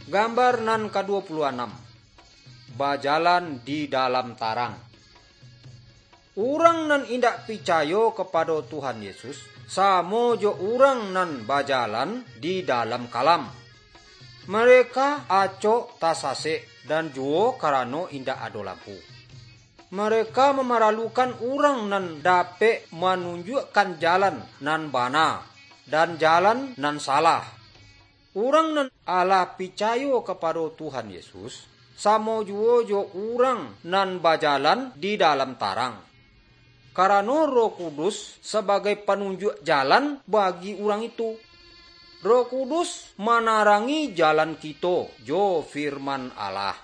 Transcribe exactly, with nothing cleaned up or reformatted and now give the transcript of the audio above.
Gambar nan kaduo puluah anam, bajalan di dalam tarang. Urang nan indak picayo kapado Tuhan Yesus, samo jo urang nan bajalan di dalam kalam. Mereka acok tasasek dan juo karano indak ado lampu. Mereka mamaralukan urang nan dapek manunjuakkan jalan nan bana, dan jalan nan salah. Urang nan alah picayo kapado Tuhan Yesus, samo juo jo urang nan bajalan di dalam tarang. Karano Roh Kudus sabagai panunjuak jalan bagi urang itu. Roh Kudus manarangi jalan kito jo firman Allah.